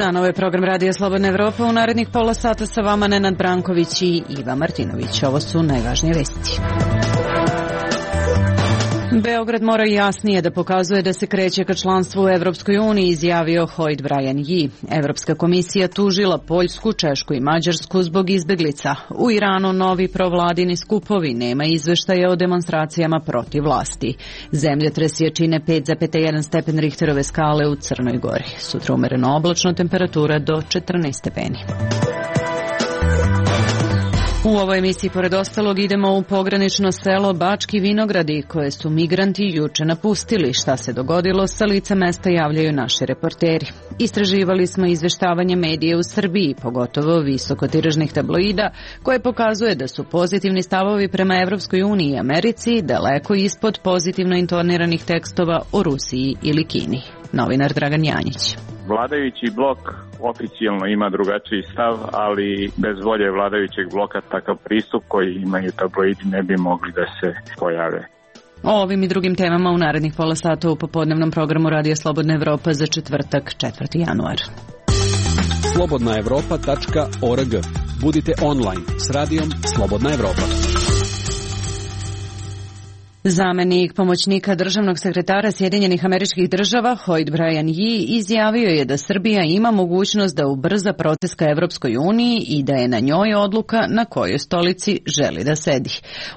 dan, ovo je program Radija Slobodna Evropa. U narednih pola sata sa vama Nenad Branković i Iva Martinović. Ovo su najvažnije vesti. Beograd mora jasnije da pokazuje da se kreće ka članstvu u Evropskoj uniji, izjavio Hoyt Brian Yee. Evropska komisija tužila Poljsku, Češku i Mađarsku zbog izbeglica. U Iranu novi provladini skupovi, nema izveštaja o demonstracijama protiv vlasti. Zemljotres jačine 5,1 stepen Richterove skale u Crnoj Gori. Sutra umereno oblačno, temperatura do 14 stepeni. U ovoj emisiji, pored ostalog, idemo u pogranično selo Bački Vinogradi, koje su migranti juče napustili. Šta se dogodilo, sa lica mesta javljaju naši reporteri. Istraživali smo izveštavanje medija u Srbiji, pogotovo visokotiražnih tabloida, koje pokazuje da su pozitivni stavovi prema Evropskoj uniji i Americi daleko ispod pozitivno intoniranih tekstova o Rusiji ili Kini. Novinar Dragan Janjić. Vladajući blok oficijalno ima drugačiji stav, ali bez volje vladajućeg bloka takav pristup koji imaju tabloidi ne bi mogli da se pojave. O ovim i drugim temama u narednih pola sata u popodnevnom programu Radija Slobodna Evropa za četvrtak, 4. januar. slobodnaevropa.org. Budite online s radijom Slobodna Evropa. Zamenik pomoćnika državnog sekretara Sjedinjenih Američkih Država Hoyt Brian Yee izjavio je da Srbija ima mogućnost da ubrza proces ka Evropskoj uniji i da je na njoj odluka na kojoj stolici želi da sedi.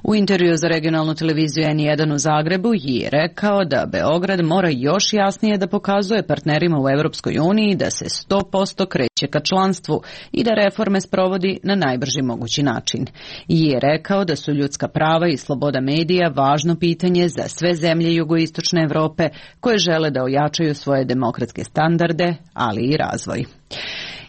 U intervju za regionalnu televiziju N1 u Zagrebu Yee je rekao da Beograd mora još jasnije da pokazuje partnerima u Evropskoj uniji da se 100% kreće ka članstvu i da reforme sprovodi na najbrži mogući način. Yee je rekao da su ljudska prava i sloboda medija važno pitanje za sve zemlje jugoistočne Evrope koje žele da ojačaju svoje demokratske standarde, ali i razvoj.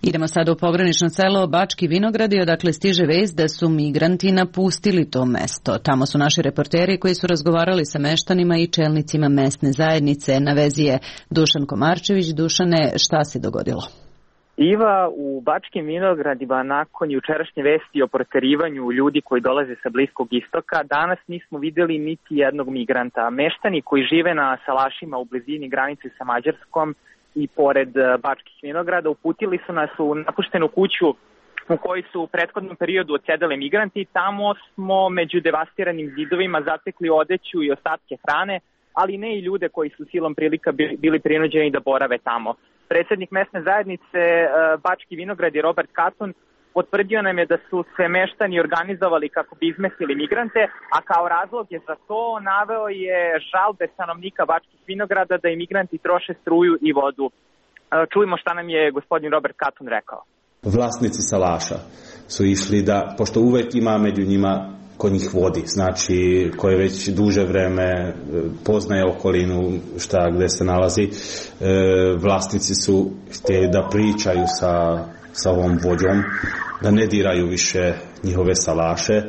Idemo sada u pogranično selo Bački Vinogradi, odakle stiže vest da su migranti napustili to mesto. Tamo su naši reporteri koji su razgovarali sa meštanima i čelnicima mesne zajednice. Na vezi je Dušan Komarčević. Dušane, šta se dogodilo? Iva, u Bačkim Vinogradima nakon jučerašnje vesti o proterivanju ljudi koji dolaze sa Bliskog istoka, danas nismo videli niti jednog migranta. Meštani koji žive na salašima u blizini granice sa Mađarskom i pored Bačkih Vinograda uputili su nas u napuštenu kuću u kojoj su u prethodnom periodu odsedali migranti. Tamo smo među devastiranim zidovima zatekli odeću i ostatke hrane, ali ne i ljude koji su silom prilika bili prinuđeni da borave tamo. Predsjednik mesne zajednice Bački Vinogradi Robert Katon potvrdio nam je da su se meštani organizovali kako bi izmestili migrante, a kao razlog je za to naveo je žalbe stanovnika Bačkih Vinograda da i migranti troše struju i vodu. Čujemo šta nam je gospodin Robert Katon rekao. Vlasnici salaša su išli da, pošto uvek ima među njima ko njih vodi, znači koje već duže vreme poznaje okolinu šta gde se nalazi, vlasnici su htjeli da pričaju sa ovom vođom, da ne diraju više njihove salaše,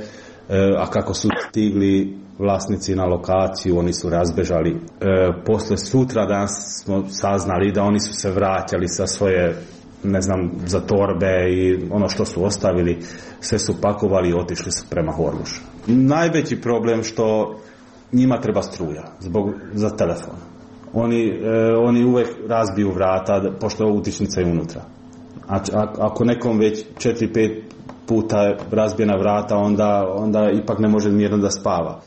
a kako su stigli vlasnici na lokaciju, oni su razbežali. Posle sutra danas smo saznali da oni su se vraćali sa svoje, ne znam, za torbe i ono što su ostavili, sve su pakovali i otišli su prema Horlušu. Najveći problem što njima treba struja za telefon. Oni uvek razbiju vrata, pošto je utičnica je unutra. Ako nekom već 4-5 puta razbijena vrata, onda ipak ne može mirno da spava.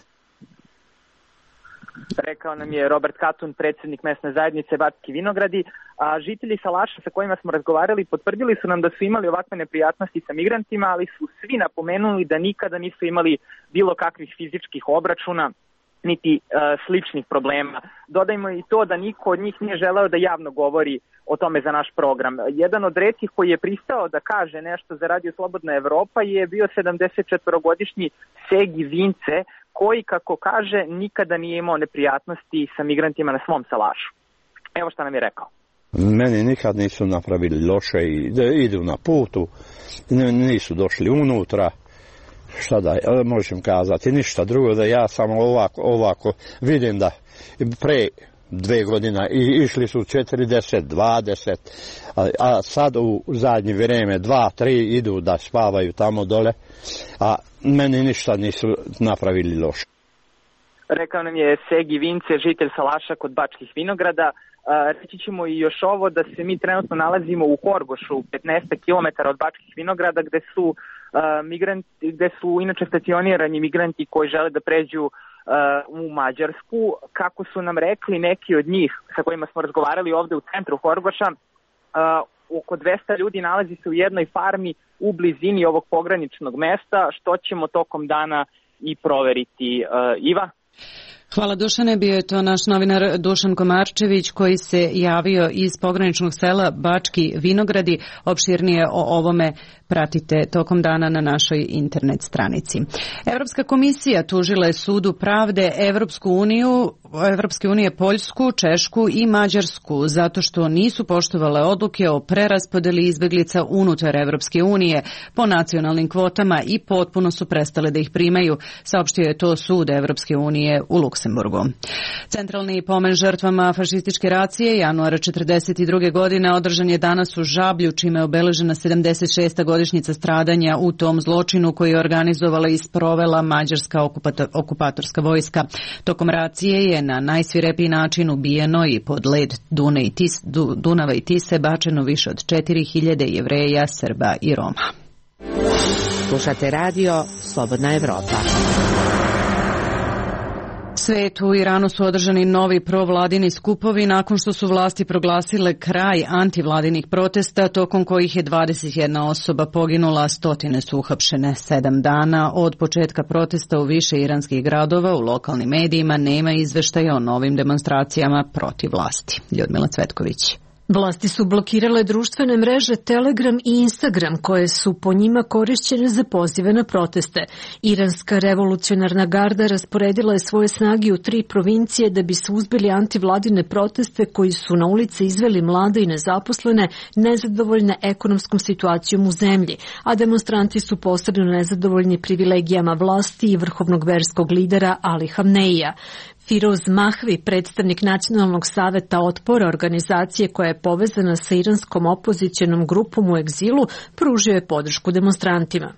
Rekao nam je Robert Katun, predsjednik mesne zajednice Bački Vinogradi, a žitelji salaša sa kojima smo razgovarali potvrdili su nam da su imali ovakve neprijatnosti sa migrantima, ali su svi napomenuli da nikada nisu imali bilo kakvih fizičkih obračuna niti sličnih problema. Dodajmo i to da niko od njih nije želeo da javno govori o tome za naš program. Jedan od retkih koji je pristao da kaže nešto za Radio Slobodna Evropa je bio 74-godišnji Segi Vince, koji, kako kaže, nikada nije imao neprijatnosti sa migrantima na svom salašu. Evo šta nam je rekao. Meni nikad nisu napravili loše i idu na putu, nisu došli unutra. Šta da možem kazati, ništa drugo, da ja samo ovako vidim da pre 2 godine išli su 40, 20, a sad u zadnje vrijeme 2, 3 idu da spavaju tamo dole, a meni ništa nisu napravili loše. Rekao nam je Segi Vince, žitelj salaša kod Bačkih Vinograda. Reći ćemo i još ovo da se mi trenutno nalazimo u Horgošu, 15 km od Bačkih Vinograda, gde su inače stacionirani migranti koji žele da pređu u Mađarsku. Kako su nam rekli neki od njih sa kojima smo razgovarali ovde u centru Horgoša, oko 200 ljudi nalazi se u jednoj farmi u blizini ovog pograničnog mesta, što ćemo tokom dana i proveriti. Iva? Hvala Dušane, bio je to naš novinar Dušan Komarčević koji se javio iz pograničnog sela Bački Vinogradi. Opširnije o ovome pratite tokom dana na našoj internet stranici. Evropska komisija tužila je Sudu pravde Evropske unije Poljsku, Češku i Mađarsku zato što nisu poštovale odluke o preraspodeli izbeglica unutar Evropske unije po nacionalnim kvotama i potpuno su prestale da ih primaju, saopštio je to Sud Evropske unije u Luksemburgu. Centralni pomen žrtvama fašističke racije januara 1942. godine održan je danas u Žablju, čime je obeležena 76. godišnjica stradanja u tom zločinu koji je organizovala i sprovela mađarska okupatorska vojska. Tokom racije je na najsvirepiji način ubijeno i pod led Dunava i Tise bačeno više od 4000 Jevreja, Srba i Roma. Slušate radio Slobodna Evropa. Svetu u Iranu su održani novi provladini skupovi nakon što su vlasti proglasile kraj antivladinih protesta, tokom kojih je 21 osoba poginula, stotine su uhapšene. 7 dana od početka protesta u više iranskih gradova u lokalnim medijima nema izveštaja o novim demonstracijama protiv vlasti. Ljudmila Cvetković. Vlasti su blokirale društvene mreže Telegram i Instagram koje su po njima korišćene za pozive na proteste. Iranska revolucionarna garda rasporedila je svoje snage u 3 provincije da bi suzbili antivladine proteste koji su na ulici izveli mlade i nezaposlene, nezadovoljne ekonomskom situacijom u zemlji, a demonstranti su posebno nezadovoljni privilegijama vlasti i vrhovnog verskog lidera Ali Hamneija. Firoz Mahvi, predstavnik Nacionalnog saveta otpora, organizacije koja je povezana sa iranskom opozicionom grupom u egzilu, pružio je podršku demonstrantima.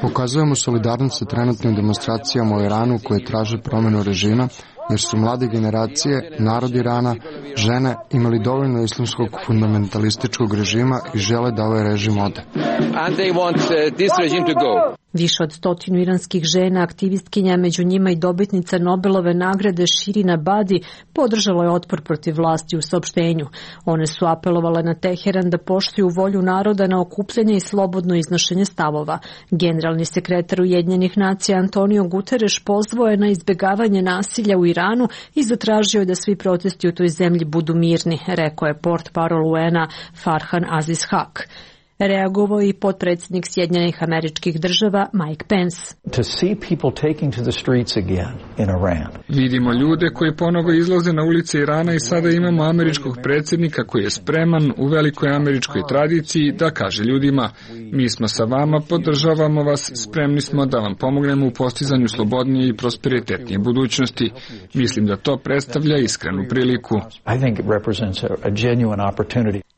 Pokazujemo solidarnost sa trenutnim demonstracijama u Iranu koje traže promenu režima, jer su mlade generacije, narod Irana, žene imali dovoljno islamskog fundamentalističkog režima i žele da ovaj režim ode. Više od 100 iranskih žena, aktivistkinja, među njima i dobitnica Nobelove nagrade Širina Badi, podržalo je otpor protiv vlasti u saopštenju. One su apelovale na Teheran da poštuju volju naroda na okupljanje i slobodno iznošenje stavova. Generalni sekretar Ujedinjenih nacija Antonio Guterres pozvao je na izbjegavanje nasilja u Iranu i zatražio je da svi protesti u toj zemlji budu mirni, rekao je portparol UN-a Farhan Aziz Haq. Reagovao i potpredsjednik Sjedinjenih Američkih Država Mike Pence. Vidimo ljude koji ponovo izlaze na ulice Irana i sada imamo američkog predsjednika koji je spreman u velikoj američkoj tradiciji da kaže ljudima: mi smo sa vama, podržavamo vas, spremni smo da vam pomognemo u postizanju slobodnije i prosperitetnije budućnosti. Mislim da to predstavlja iskrenu priliku.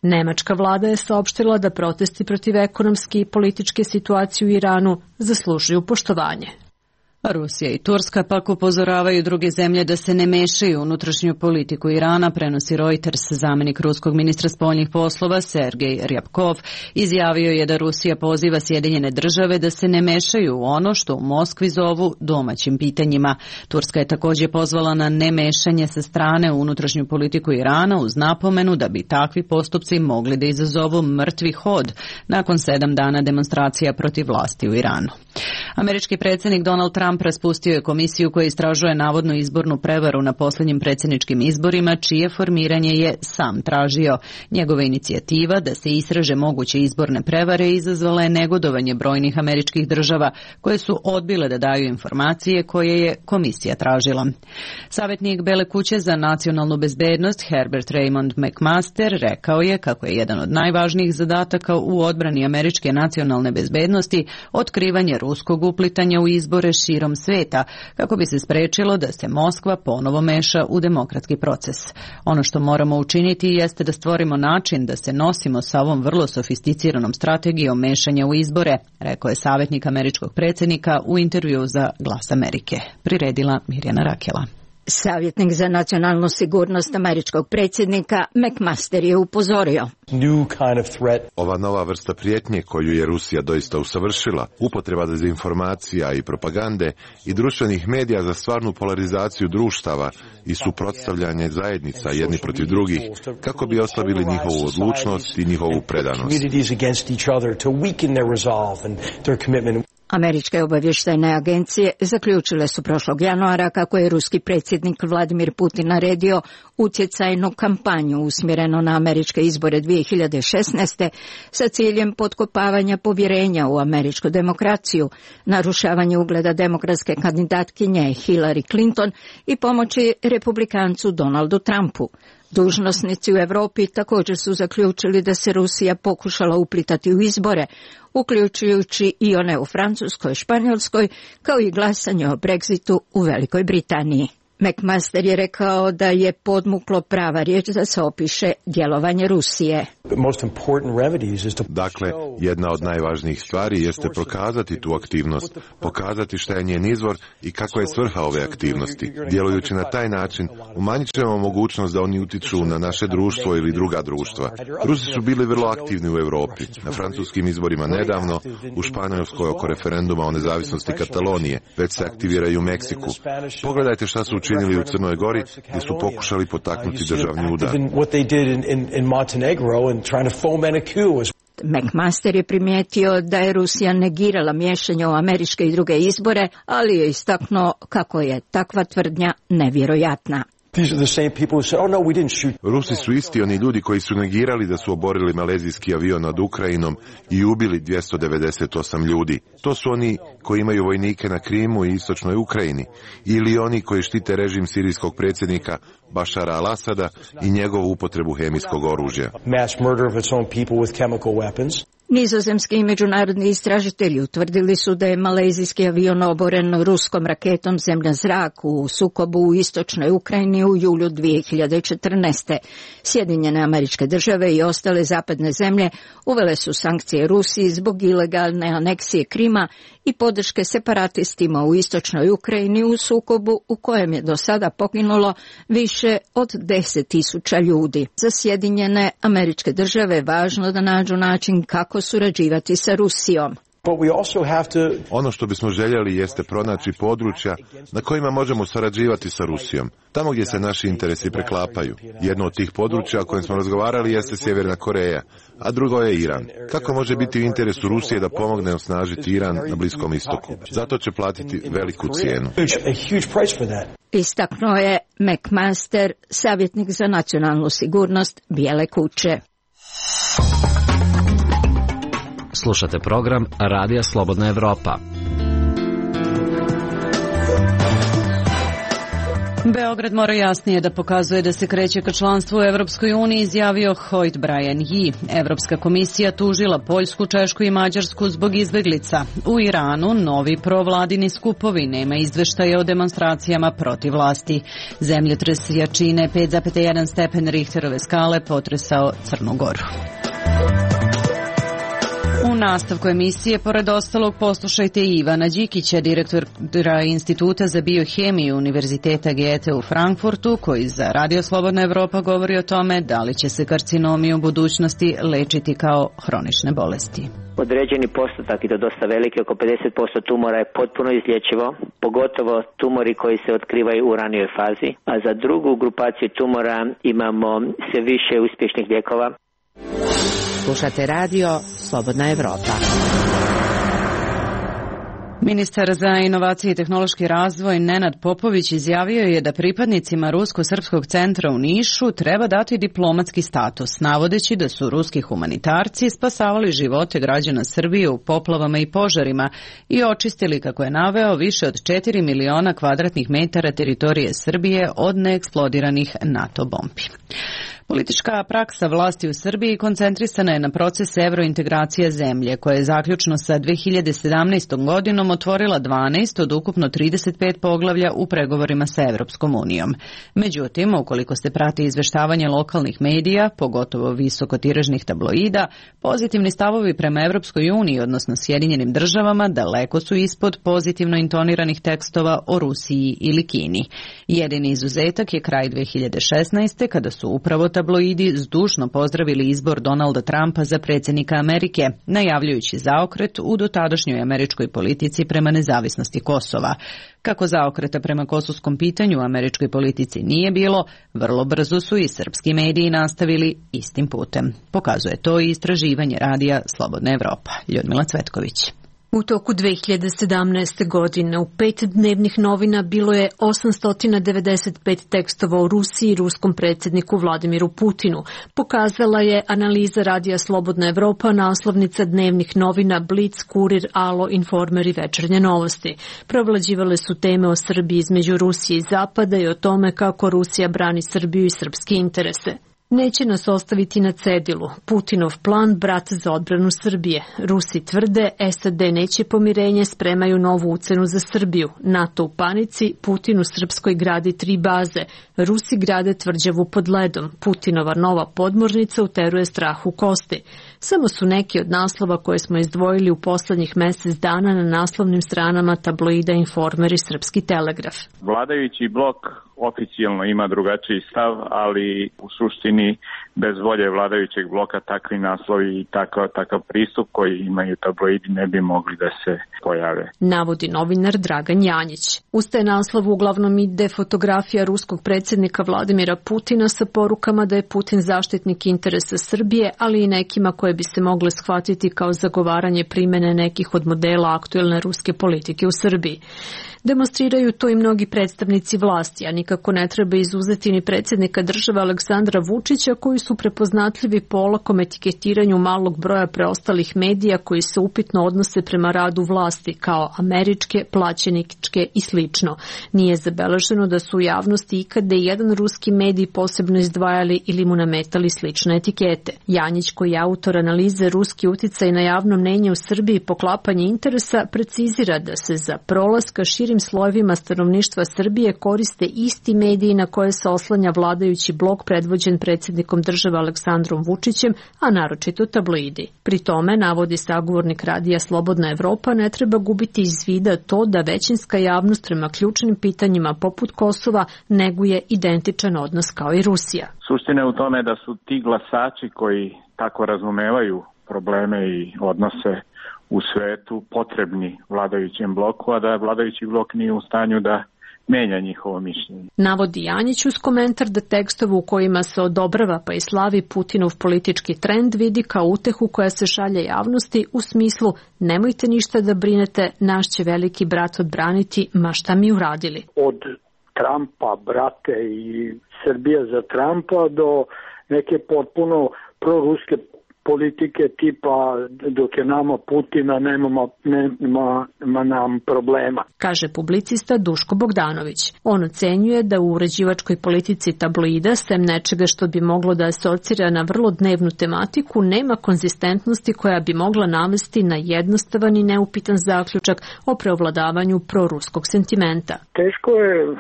Nemačka vlada je saopštila da protesti protiv ekonomske i političke situacije u Iranu zaslužuju poštovanje. Rusija i Turska pak upozoravaju druge zemlje da se ne mešaju u unutrašnju politiku Irana, prenosi Reuters. Zamenik ruskog ministra spoljnih poslova Sergej Ryabkov izjavio je da Rusija poziva Sjedinjene države da se ne mešaju u ono što u Moskvi zovu domaćim pitanjima. Turska je također pozvala na nemešanje sa strane u unutrašnju politiku Irana uz napomenu da bi takvi postupci mogli da izazovu mrtvi hod nakon 7 dana demonstracija protiv vlasti u Iranu. Američki predsjednik Donald Trump raspustio je komisiju koja istražuje navodnu izbornu prevaru na posljednjim predsjedničkim izborima, čije formiranje je sam tražio. Njegova inicijativa da se istraže moguće izborne prevare izazvala je negodovanje brojnih američkih država koje su odbile da daju informacije koje je komisija tražila. Savjetnik Bele kuće za nacionalnu bezbednost Herbert Raymond McMaster rekao je kako je jedan od najvažnijih zadataka u odbrani američke nacionalne bezbednosti otkrivanje ruskog uplitanja u izbore širom sveta, kako bi se sprečilo da se Moskva ponovo meša u demokratski proces. Ono što moramo učiniti jeste da stvorimo način da se nosimo sa ovom vrlo sofisticiranom strategijom mešanja u izbore, rekao je savjetnik američkog predsjednika u intervjuu za Glas Amerike. Priredila Mirjana Rakela. Savjetnik za nacionalnu sigurnost američkog predsjednika McMaster je upozorio. Ova nova vrsta prijetnje koju je Rusija doista usavršila, upotreba dezinformacija i propagande i društvenih medija za stvarnu polarizaciju društava i suprotstavljanje zajednica jedni protiv drugih, kako bi oslabili njihovu odlučnost i njihovu predanost. Američke obavještajne agencije zaključile su prošlog januara kako je ruski predsjednik Vladimir Putin naredio utjecajnu kampanju usmjereno na američke izbore 2016. sa ciljem potkopavanja povjerenja u američku demokraciju, narušavanje ugleda demokratske kandidatkinje Hillary Clinton i pomoći republikancu Donaldu Trumpu. Dužnosnici u Europi također su zaključili da se Rusija pokušala uplitati u izbore, uključujući i one u Francuskoj, Španjolskoj, kao i glasanje o Brexitu u Velikoj Britaniji. McMaster je rekao da je podmuklo prava riječ da se opiše djelovanje Rusije. Dakle, jedna od najvažnijih stvari jeste prokazati tu aktivnost, pokazati šta je njen izvor i kakva je svrha ove aktivnosti. Djelujući na taj način, umanjit ćemo mogućnost da oni utiču na naše društvo ili druga društva. Rusi su bili vrlo aktivni u Europi, na francuskim izborima nedavno, u Španjolskoj oko referenduma o nezavisnosti Katalonije, već se aktiviraju u Meksiku. Pogledajte šta su učinili u Crnoj Gori, gdje su pokušali potaknuti državni udar. McMaster je primijetio da je Rusija negirala miješanje u američke i druge izbore, ali je istaknuo kako je takva tvrdnja nevjerojatna. Rusi su isti oni ljudi koji su negirali da su oborili malezijski avion nad Ukrajinom i ubili 298 ljudi. To su oni koji imaju vojnike na Krimu i istočnoj Ukrajini, ili oni koji štite režim sirijskog predsjednika Bašara al-Asada i njegovu upotrebu hemijskog oružja. Nizozemski i međunarodni istražitelji utvrdili su da je malezijski avion oboren ruskom raketom zemlja-zrak u sukobu u istočnoj Ukrajini u julu 2014. Sjedinjene Američke Države i ostale zapadne zemlje uvele su sankcije Rusiji zbog ilegalne aneksije Krima i podrške separatistima u istočnoj Ukrajini u sukobu u kojem je do sada poginulo više od 10.000 ljudi. Za Sjedinjene Američke Države važno da nađu način kako surađivati sa Rusijom. Ono što bismo željeli jeste pronaći područja na kojima možemo sarađivati sa Rusijom, tamo gdje se naši interesi preklapaju. Jedno od tih područja o kojem smo razgovarali jeste Sjeverna Koreja, a drugo je Iran. Kako može biti u interesu Rusije da pomogne osnažiti Iran na Bliskom istoku? Zato će platiti veliku cijenu. Istaknuo je McMaster, savjetnik za nacionalnu sigurnost Bijele kuće. Slušate program Radija Slobodna Evropa. Beograd mora jasnije da pokazuje da se kreće ka članstvu u Evropskoj uniji, izjavio Hoyt Brian Yee. Evropska komisija tužila Poljsku, Češku i Mađarsku zbog izbeglica. U Iranu novi provladini skupovi, nema izveštaja o demonstracijama protiv vlasti. Zemljotres jačine 5,1 stepen Richterove skale potresao Crnu Goru. U nastavku emisije, pored ostalog, poslušajte Ivana Đikića, direktora Instituta za biohemiju Univerziteta Goethe u Frankfurtu, koji za Radio Slobodna Evropa govori o tome da li će se karcinomi u budućnosti lečiti kao hronične bolesti. Određeni postotak, i to dosta veliki, oko 50% tumora je potpuno izlječivo, pogotovo tumori koji se otkrivaju u ranijoj fazi, a za drugu grupaciju tumora imamo sve više uspješnih lijekova. Slušate radio Slobodna Evropa. Ministar za inovacije i tehnološki razvoj Nenad Popović izjavio je da pripadnicima Rusko-srpskog centra u Nišu treba dati diplomatski status, navodeći da su ruski humanitarci spasavali živote građana Srbije u poplavama i požarima i očistili, kako je naveo, više od 4 miliona kvadratnih metara teritorije Srbije od neeksplodiranih NATO bombi. Politička praksa vlasti u Srbiji koncentrisana je na proces evrointegracije zemlje, koja je zaključno sa 2017. godinom otvorila 12 od ukupno 35 poglavlja u pregovorima sa Evropskom unijom. Međutim, ukoliko se prati izveštavanje lokalnih medija, pogotovo visokotiražnih tabloida, pozitivni stavovi prema Evropskoj uniji, odnosno Sjedinjenim državama, daleko su ispod pozitivno intoniranih tekstova o Rusiji ili Kini. Jedini izuzetak je kraj 2016. kada su upravo tabloidi zdušno pozdravili izbor Donalda Trumpa za predsjednika Amerike, najavljujući zaokret u dotadašnjoj američkoj politici prema nezavisnosti Kosova. Kako zaokreta prema kosovskom pitanju u američkoj politici nije bilo, vrlo brzo su i srpski mediji nastavili istim putem. Pokazuje to i istraživanje radija Slobodna Evropa. Ljudmila Cvetković. U toku 2017. godine u 5 dnevnih novina bilo je 895 tekstova o Rusiji i ruskom predsjedniku Vladimiru Putinu. Pokazala je analiza radija Slobodna Evropa, naslovnica dnevnih novina Blic, Kurir, Alo, Informer i Večernje novosti. Preovlađivale su teme o Srbiji između Rusije i Zapada i o tome kako Rusija brani Srbiju i srpske interese. Neće nas ostaviti na cedilu. Putinov plan, brat za odbranu Srbije. Rusi tvrde, SAD neće pomirenje, spremaju novu ucenu za Srbiju. NATO u panici, Putin u Srpskoj gradi 3 baze. Rusi grade tvrđavu pod ledom. Putinova nova podmornica uteruje strah u kosti. Samo su neki od naslova koje smo izdvojili u poslednjih mesec dana na naslovnim stranama tabloida Informer i Srpski telegraf. Vladajući blok oficijalno ima drugačiji stav, ali u suštini bez volje vladajućeg bloka takvi naslovi i takav pristup koji imaju tabloidi ne bi mogli da se pojave. Navodi novinar Dragan Janjić. Uz taj naslov uglavnom ide fotografija ruskog predsjednika Vladimira Putina sa porukama da je Putin zaštitnik interesa Srbije, ali i nekima koje bi se mogle shvatiti kao zagovaranje primene nekih od modela aktuelne ruske politike u Srbiji. Demonstriraju to i mnogi predstavnici vlasti, a nikako ne treba izuzeti ni predsjednika države Aleksandra Vučića, koji su prepoznatljivi po olakom etiketiranju malog broja preostalih medija koji se upitno odnose prema radu vlasti, kao američke, plaćeničke i slično. Nije zabeleženo da su u javnosti ikada i jedan ruski medij posebno izdvajali ili mu nametali slične etikete. Janjić, koji je autor analize Ruski uticaj na javno mnenje u Srbiji i poklapanje interesa, precizira da se za prolaz ka širim slojevima stanovništva Srbije koriste isti mediji na koje se oslanja vladajući blok predvođen predsjednikom države Aleksandrom Vučićem, a naročito tabloidi. Pri tome, navodi sagovornik radija Slobodna Evropa, ne treba gubiti iz vida to da većinska javnost prema ključnim pitanjima poput Kosova neguje identičan odnos kao i Rusija. Suština je u tome da su ti glasači koji tako razumevaju probleme i odnose u svetu potrebni vladajućem bloku, a da vladajući blok nije u stanju da menja njihovo mišljenje. Navodi Janjić uz komentar da tekstove u kojima se odobrava pa i slavi Putinov politički trend vidi kao utehu koja se šalje javnosti u smislu nemojte ništa da brinete, naš će veliki brat odbraniti, ma šta mi uradili. Od Trumpa, brate i Srbija za Trumpa do neke potpuno proruske politike tipa dok je nama Putina nema nam problema. Kaže publicista Duško Bogdanović. On ocenjuje da u uređivačkoj politici tabloida, sem nečega što bi moglo da asocira na vrlo dnevnu tematiku, nema konzistentnosti koja bi mogla navesti na jednostavan i neupitan zaključak o preovladavanju proruskog sentimenta. Teško je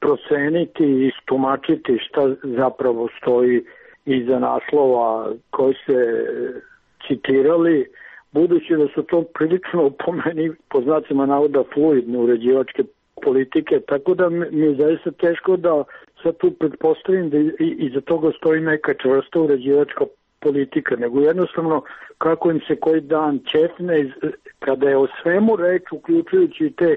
proceniti i istumačiti šta zapravo stoji iza naslova koji se citirali, budući da su to prilično po meni, po znacima navoda, fluidne uređivačke politike, tako da mi je zaista teško da sad tu pretpostavim da iza toga stoji neka čvrsta uređivačka politika, nego jednostavno kako im se koji dan ćefne, kada je o svemu reč, uključujući te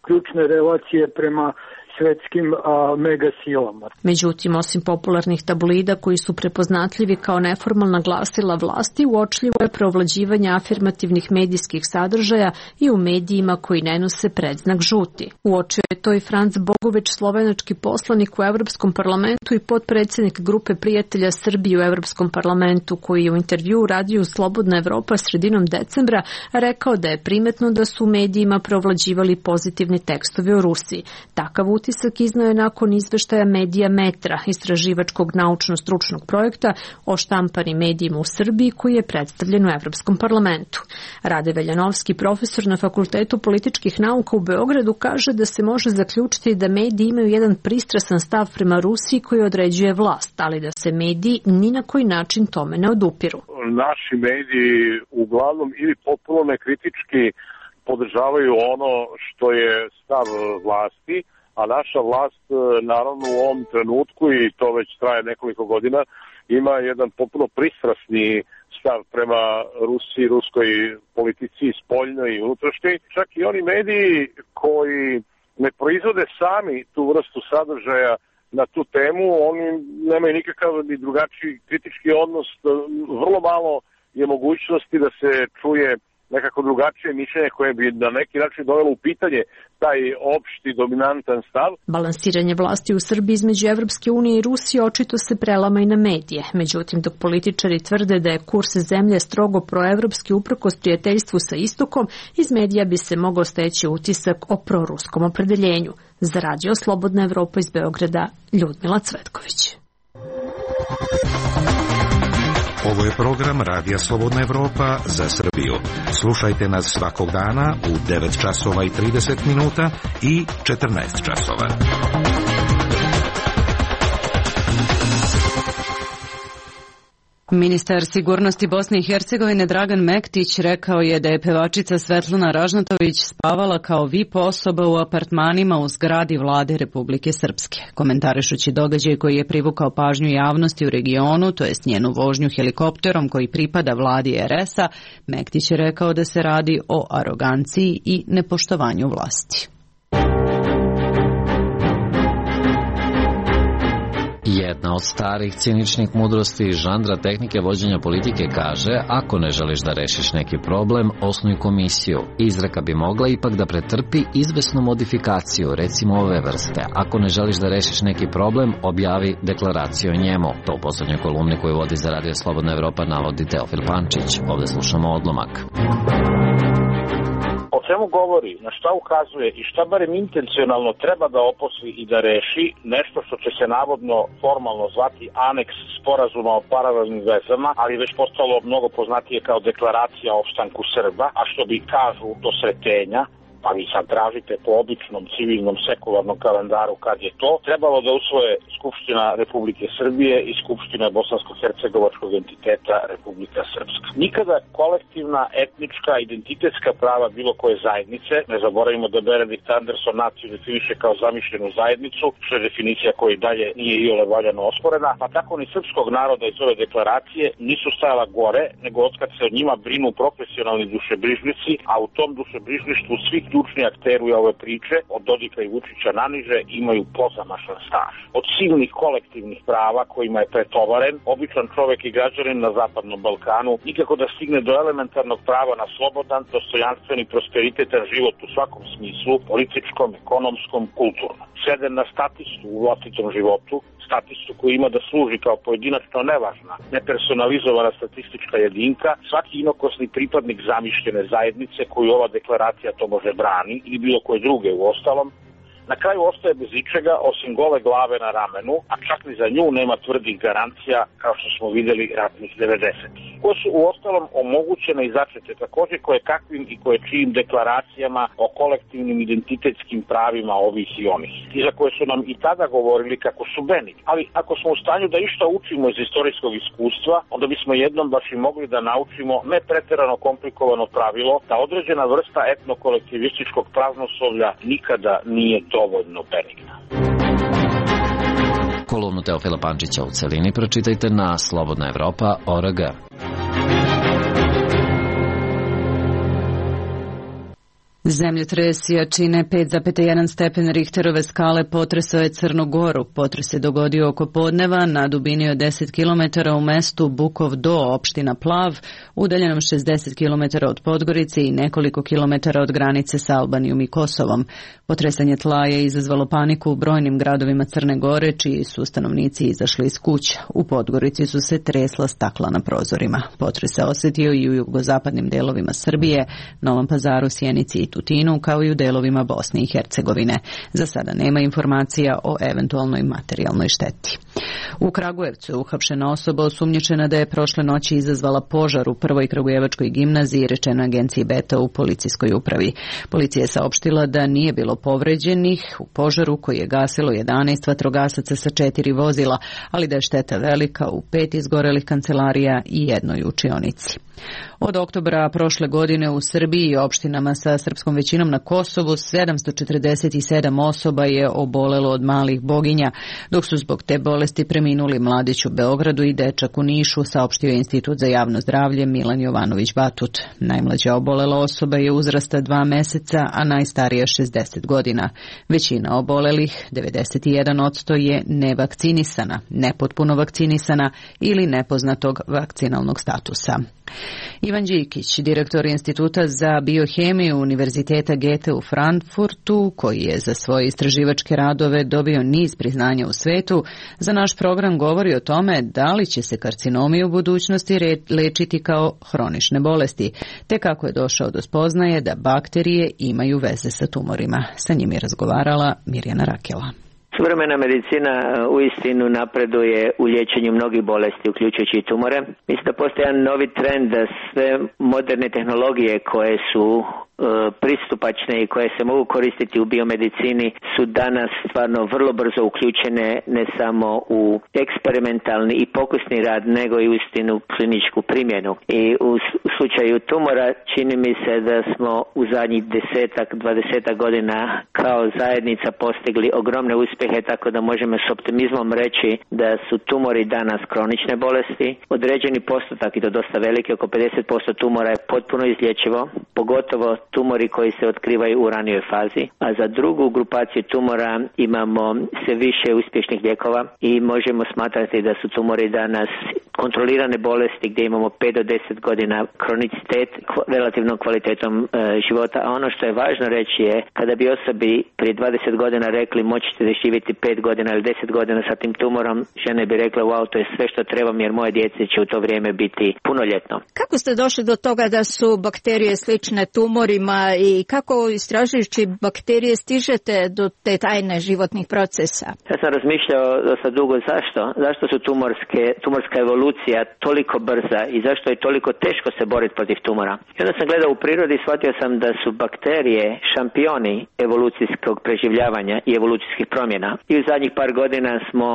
ključne relacije prema svetskim megasilama. Međutim, osim popularnih tabloida koji su prepoznatljivi kao neformalna glasila vlasti, uočljivo je preovlađivanje afirmativnih medijskih sadržaja i u medijima koji ne nose predznak žuti. Uočio je to i Franc Bogović, slovenački poslanik u Evropskom parlamentu i potpredsjednik grupe prijatelja Srbije u Evropskom parlamentu, koji je u intervjuu radiju Slobodna Evropa sredinom decembra rekao da je primetno da su u medijima preovlađivali pozitivni tekstovi o Rusiji. Takav uticaj utisak iznao je nakon izveštaja Medija Metra, istraživačkog naučno-stručnog projekta o štampanim medijima u Srbiji koji je predstavljen u Evropskom parlamentu. Rade Veljanovski, profesor na Fakultetu političkih nauka u Beogradu, kaže da se može zaključiti da mediji imaju jedan pristrasan stav prema Rusiji koji određuje vlast, ali da se mediji ni na koji način tome ne odupiru. Naši mediji uglavnom ili potpuno nekritički podržavaju ono što je stav vlasti, a naša vlast naravno u ovom trenutku, i to već traje nekoliko godina, ima jedan potpuno pristrasni stav prema Rusiji, ruskoj politici, spoljnoj i unutrašnjoj. Čak i oni mediji koji ne proizvode sami tu vrstu sadržaja na tu temu, oni nemaju nikakav ni drugačiji kritički odnos, vrlo malo je mogućnosti da se čuje nekako drugačije mišljenje koje bi na neki način dovelo u pitanje taj opšti dominantan stav. Balansiranje vlasti u Srbiji između Evropske unije i Rusije očito se prelama i na medije. Međutim, dok političari tvrde da je kurs zemlje strogo proevropski uprkos prijateljstvu sa istokom, iz medija bi se mogao steći utisak o proruskom opredeljenju. Za Radio Slobodna Evropa iz Beograda, Ljudmila Cvetković. Ovo je program Radija Slobodna Evropa za Srbiju. Slušajte nas svakog dana u 9 časova i 30 minuta i 14 časova. Ministar sigurnosti Bosne i Hercegovine Dragan Mektić rekao je da je pevačica Svetlana Ražnatović spavala kao VIP osoba u apartmanima u zgradi vlade Republike Srpske. Komentarišući događaj koji je privukao pažnju javnosti u regionu, to jest njenu vožnju helikopterom koji pripada vladi RS-a, Mektić je rekao da se radi o aroganciji i nepoštovanju vlasti. Jedna od starih ciničnih mudrosti žanra tehnike vođenja politike kaže: ako ne želiš da rešiš neki problem, osnuj komisiju. Izreka bi mogla ipak da pretrpi izvesnu modifikaciju, recimo ove vrste: ako ne želiš da rešiš neki problem, objavi deklaraciju o njemu. To u poslednjoj kolumni koju vodi za Radio Slobodna Evropa navodi Teofil Pančić. Ovde slušamo odlomak. O čemu govori, na šta ukazuje i šta barem intencionalno treba da oposli i da reši nešto što će se navodno formalno zvati aneks sporazuma o paralelnim vezama, ali već postalo mnogo poznatije kao deklaracija o opstanku Srba, a što bi kažu do sretenja, pa vi sad tražite po običnom civilnom sekularnom kalendaru kad je to, trebalo da usvoje Skupština Republike Srbije i Skupština Bosansko-hercegovačkog entiteta Republika Srpska. Nikada kolektivna, etnička, identitetska prava bilo koje zajednice, ne zaboravimo da Benedikt Anderson naciju definiše kao zamišljenu zajednicu, što je definicija koja i dalje nije iole valjano osporena, pa tako ni srpskog naroda iz ove deklaracije nisu stajala gore, nego otkad se o njima brinu profesionalni dušebrižnici, a u tom dušebrižništvu svih ključni akteri ove priče, od Dodika i Vučića naniže, imaju pozamašan staž. Od silnih kolektivnih prava kojima je pretovaren, običan čovek i građanin na Zapadnom Balkanu nikako da stigne do elementarnog prava na slobodan, dostojanstven i prosperitetan život u svakom smislu, političkom, ekonomskom, kulturnom. Sveden na statistu u vlastitom životu, statistu koji ima da služi kao pojedinačno nevažna, nepersonalizovana statistička jedinka, svaki inokosni pripadnik zamišljene zajednice koju ova deklaracija to može brani ili bilo koje druge u ostalom, na kraju ostaje bez ičega osim gole glave na ramenu, a čak ni za nju nema tvrdih garancija kao što smo videli ratnih 90-ih. Koje su u ostalom omogućene i začete takođe koje kakvim i koje čijim deklaracijama o kolektivnim identitetskim pravima ovih i onih, i za koje su nam i tada govorili kako su benigni. Ali ako smo u stanju da išta učimo iz istorijskog iskustva, onda bismo jednom baš i mogli da naučimo ne preterano komplikovano pravilo da određena vrsta etnokolektivističkog praznoslovlja nikada nije dovoljno benigna. Kolumnu Teofila Pančića u celini pročitajte na slobodnaevropa.org. Zemljotres jačine 5,1 stepen Richterove skale potresao je Crnu Goru. Potres se dogodio oko podneva na dubini od 10 km u mestu Bukov Do, opština Plav, udaljenom 60 km od Podgorice i nekoliko kilometara od granice sa Albanijom i Kosovom. Potresanje tla je izazvalo paniku u brojnim gradovima Crne Gore, čiji su stanovnici izašli iz kuća. U Podgorici su se tresla stakla na prozorima. Potres se osetio i u jugozapadnim delovima Srbije, Novom Pazaru, Sjenici i Tutinu kao i u delovima Bosne i Hercegovine. Za sada nema informacija o eventualnoj materijalnoj šteti. U Kragujevcu je uhapšena osoba osumnjičena da je prošle noći izazvala požar u prvoj kragujevačkoj gimnaziji, rečeno agenciji Beta u policijskoj upravi. Policija je saopštila da nije bilo povređenih u požaru koji je gasilo 11 vatrogasaca sa 4 vozila, ali da je šteta velika u 5 izgorelih kancelarija i jednoj učionici. Od oktobra prošle godine u Srbiji i opštinama sa srpskom većinom na Kosovu 747 osoba je obolelo od malih boginja, dok su zbog te bolesti preminuli mladić u Beogradu i dečak u Nišu, saopštio Institut za javno zdravlje Milan Jovanović Batut. Najmlađa obolela osoba je uzrasta 2 meseca, a najstarija 60 godina. Većina obolelih, 91%, je nevakcinisana, nepotpuno vakcinisana ili nepoznatog vakcinalnog statusa. Ivan Đikić, direktor Instituta za biohemiju Univerziteta Goethe u Frankfurtu, koji je za svoje istraživačke radove dobio niz priznanja u svetu, za naš program govori o tome da li će se karcinomi u budućnosti lečiti kao hronične bolesti, te kako je došao do spoznaje da bakterije imaju veze sa tumorima. Sa njim je razgovarala Mirjana Rakela. Suvremena medicina uistinu napreduje u liječenju mnogih bolesti, uključujući i tumore. Mislim da postoji jedan novi trend da sve moderne tehnologije koje su pristupačne i koje se mogu koristiti u biomedicini su danas stvarno vrlo brzo uključene ne samo u eksperimentalni i pokusni rad, nego i uistinu kliničku primjenu. I u slučaju tumora čini mi se da smo u zadnjih 10-20 godina kao zajednica postigli ogromne uspjehe, tako da možemo s optimizmom reći da su tumori danas kronične bolesti. Određeni postotak, i to dosta veliki, oko 50% tumora je potpuno izlječivo, pogotovo tumori koji se otkrivaju u ranijoj fazi, a za drugu grupaciju tumora imamo sve više uspješnih lijekova i možemo smatrati da su tumori danas kontrolirane bolesti gdje imamo 5 do 10 godina kronicitet relativnom kvalitetom života, a ono što je važno reći je kada bi osobi prije 20 godina rekli moći ćete živjeti 5 godina ili 10 godina sa tim tumorom, žene bi rekle wow, to je sve što trebam jer moje djece će u to vrijeme biti punoljetno. Kako ste došli do toga da su bakterije slične tumorima i kako istražujući bakterije stižete do te tajne životnih procesa? Ja sam razmišljao dosta dugo zašto su tumorska evolucija toliko brza i zašto je toliko teško se boriti protiv tumora. I onda sam gledao u prirodi i shvatio sam da su bakterije šampioni evolucijskog preživljavanja i evolucijskih promjena. I u zadnjih par godina smo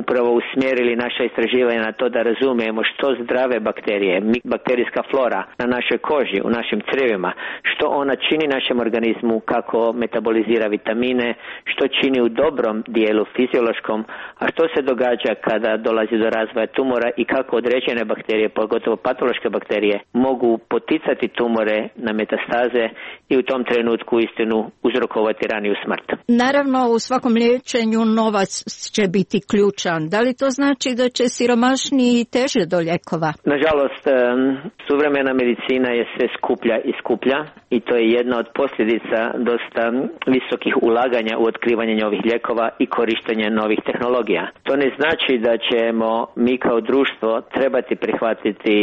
upravo usmjerili naša istraživanja na to da razumijemo što zdrave bakterije, bakterijska flora na našoj koži, u našim crijevima, što ona čini našem organizmu, kako metabolizira vitamine, što čini u dobrom dijelu fiziološkom, a što se događa kada dolazi do razvoja tumora i kako određene bakterije, pogotovo patološke bakterije, mogu poticati tumore na metastaze i u tom trenutku istinu uzrokovati raniju smrt. Naravno, u svakom liječenju novac će biti ključan. Da li to znači da će siromašniji teže do lijekova? Nažalost, suvremena medicina je sve skuplja i skuplja i to je jedna od posljedica dosta visokih ulaganja u otkrivanje novih lijekova i korištenje novih tehnologija. To ne znači da ćemo mi kao društvo trebati prihvatiti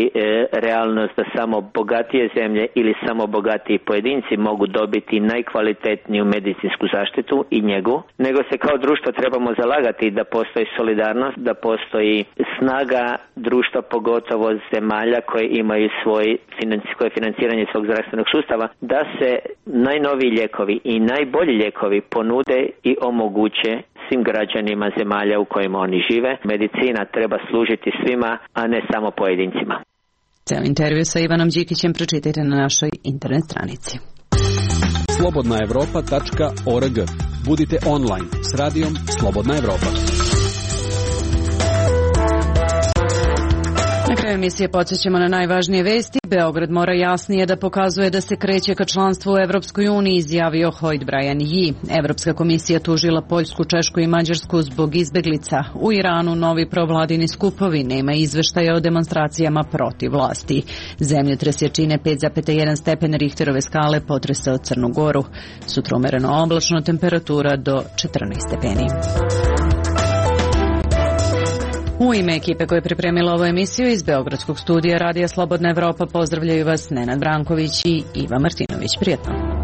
realnost da samo bogatije zemlje ili samo bogatiji pojedinci mogu dobiti najkvalitetniju medicinsku zaštitu i njegu, nego se kao društvo trebamo zalagati da postoji solidarnost, da postoji snaga društva, pogotovo zemalja koje imaju svoje financiranje svog zdravstvenog sustava, da se najnoviji lijekovi i najbolji lijekovi ponude i omoguće svim građanima zemalja u kojima oni žive. Medicina treba služiti svima, a ne samo pojedincima. Ceo intervju sa Ivanom Đikićem pročitajte na našoj internet stranici. slobodnaevropa.org. Budite online s radijom Slobodna Evropa. Na kraju emisije podsjećamo na najvažnije vesti. Beograd mora jasnije da pokazuje da se kreće ka članstvu u Evropskoj uniji, izjavio Hoyt Brian Yee. Evropska komisija tužila Poljsku, Češku i Mađarsku zbog izbeglica. U Iranu novi provladini skupovi, nema izveštaja o demonstracijama protiv vlasti. Zemljotres jačine 5,1 stepen Richterove skale potresao Crnu Goru. Sutra umereno oblačno, temperatura do 14 stepeni. U ime ekipe koja je pripremila ovu emisiju iz Beogradskog studija Radija Slobodna Evropa pozdravljaju vas Nenad Branković i Iva Martinović. Prijetno.